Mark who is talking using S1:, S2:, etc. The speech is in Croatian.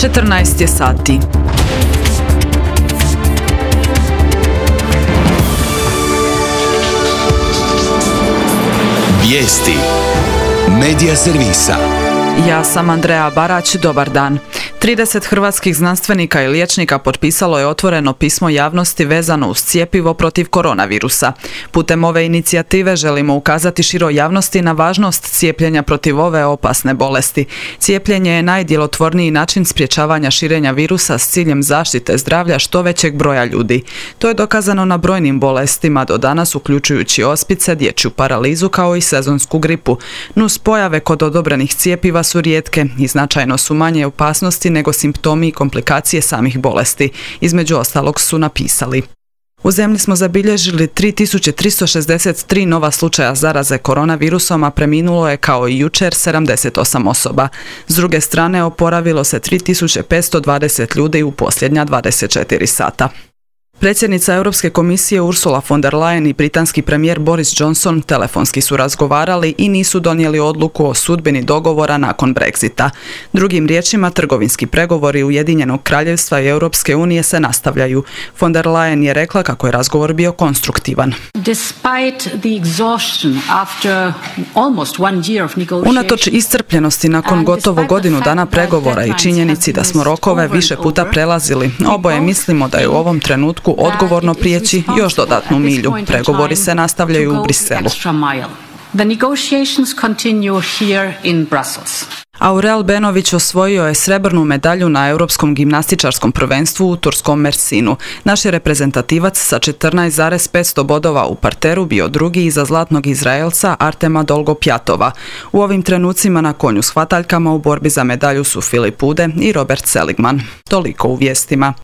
S1: 14 je sati.
S2: Vijesti Medija servisa.
S1: Ja sam Andreja Barać, dobar dan. 30 hrvatskih znanstvenika i liječnika potpisalo je otvoreno pismo javnosti vezano uz cjepivo protiv koronavirusa. Putem ove inicijative želimo ukazati široj javnosti na važnost cijepljenja protiv ove opasne bolesti. Cijepljenje je najdjelotvorniji način sprječavanja širenja virusa s ciljem zaštite zdravlja što većeg broja ljudi. To je dokazano na brojnim bolestima do danas, uključujući ospice, dječju paralizu kao i sezonsku gripu. Nuspojave kod odobrenih cjepiva su rijetke i značajno su manje opasnosti nego simptomi i komplikacije samih bolesti. Između ostalog su napisali: u zemlji smo zabilježili 3363 nova slučaja zaraze koronavirusom, a preminulo je kao i jučer 78 osoba. S druge strane, oporavilo se 3520 ljudi u posljednja 24 sata. Predsjednica Europske komisije Ursula von der Leyen i britanski premijer Boris Johnson telefonski su razgovarali i nisu donijeli odluku o sudbini dogovora nakon Brexita. Drugim riječima, trgovinski pregovori Ujedinjenog kraljevstva i Europske unije se nastavljaju. Von der Leyen je rekla kako je razgovor bio konstruktivan. Unatoč iscrpljenosti nakon gotovo godinu dana pregovora i činjenici da smo rokove više puta prelazili, oboje mislimo da je u ovom trenutku odgovorno prijeći još dodatnu milju. Pregovori se nastavljaju u Briselu. Aurel Benović osvojio je srebrnu medalju na Europskom gimnastičarskom prvenstvu u turskom Mersinu. Naš je reprezentativac sa 14,500 bodova u parteru bio drugi iza zlatnog Izraelca Artema Dolgopjatova. U ovim trenucima na konju s hvataljkama u borbi za medalju su Filip Ude i Robert Seligman. Toliko u vijestima.